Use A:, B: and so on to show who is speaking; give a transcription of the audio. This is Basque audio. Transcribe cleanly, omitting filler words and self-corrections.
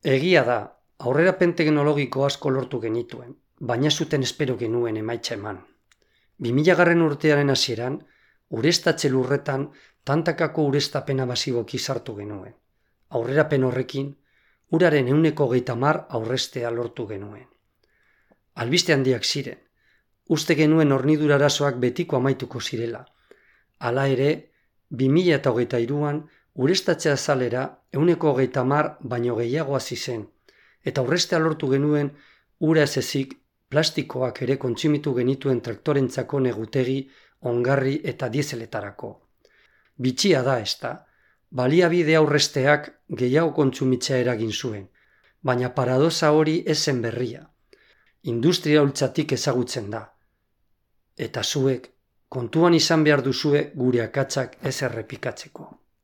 A: Egia da, aurrerapen teknologiko asko lortu genituen, baina zuten espero genuen emaitza eman. 2000 urtearen hasieran, ureztatze lurretan tantakako ureztapena masiboki sartu genuen. Aurrerapen horrekin, uraren 130 aurreztea lortu genuen. Albiste handiak ziren, uste genuen hornidura arazoak betiko amaituko zirela. Hala ere, 2023an ureztatze azalera 130 baino gehiago hasi zen, eta aurreztea lortu genuen ura ez ezik plastikoak ere kontsumitu genituen traktorentzako negutegi, ongarri eta dieseletarako. Bitxia da ezta, baliabide aurrezteak gehiago kontsumitzea eragin zuen, baina paradoxa hori ez zen berria. Industria hultzatik ezagutzen da. Eta zuek, kontuan izan behar duzue gure akatsak ez errepikatzeko.